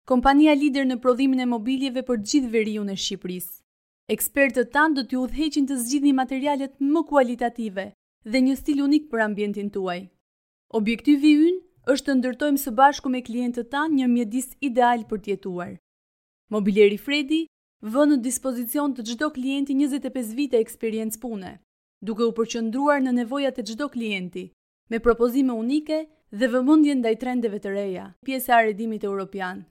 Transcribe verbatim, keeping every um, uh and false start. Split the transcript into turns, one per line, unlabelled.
Kompania lider në prodhimin e mobiljeve për gjithë veriun e Shqipërisë. Ekspertët tanë do t'ju udhëheqin të zgjidhni materialet më kualitative dhe një stil unik për ambientin tuaj. Objektivi ynë është të ndërtojmë së bashku me klientët tanë një mjedis ideal për të jetuar. Mobileri Fredi vë në dispozicion të çdo klienti njëzet e pesë vite eksperiencë pune, duke u përqendruar në nevojat e çdo klienti, me propozime unike dhe vëmendje ndaj trendeve të reja, pjesë e arredimit europian.